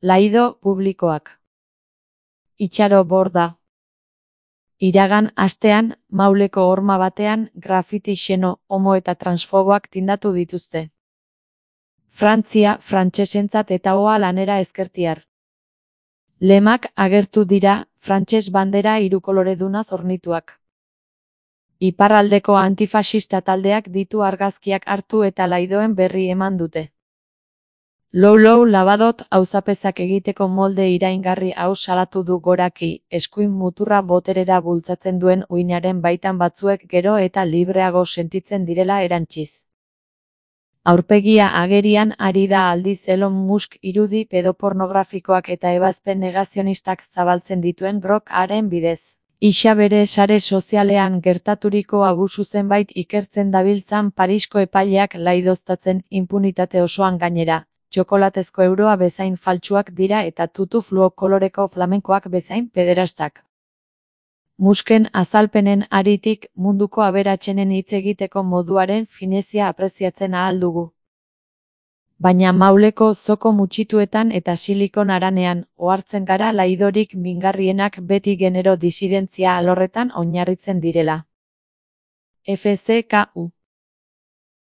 Laido publikoak. Itxaro Borda. Iragan astean, Mauleko horma batean, grafiti xeno, homo eta transfoboak tindatu dituzte. Frantzia, frantsesentzat eta hoa lanera ezkertiar. Lemak agertu dira, frantses bandera hirukoloreduna zornituak. Iparraldeko antifasista taldeak ditu argazkiak hartu eta laidoen berri eman dute. Lou Labadot auzapezak egiteko molde iraingarri hau salatu du Goraki, eskuin muturra boterera bultzatzen duen uinaren baitan batzuek gero eta libreago sentitzen direla erantsiz. Aurpegia agerian ari da aldiz Elon Musk irudi pedopornografikoak eta ebazpen negazionistak zabaltzen dituen blog-aren bidez. Isa bere sare sozialean gertaturiko abusu zenbait ikertzen dabiltzan Parisko epaileak laidoztatzen inpunitate osoan gainera. Txokolatezko euroa bezain faltsuak dira eta tutu fluo koloreko flamenkoak bezain pederastak. Musken azalpenen haritik munduko aberatsenen hitz egiteko moduaren finezia apreziatzen ahal dugu. Baina Mauleko zoko mutxituetan eta silikon haranean ohartzen gara laidorik mingarrienak beti genero disidentzia alorretan oinarritzen direla. FCKU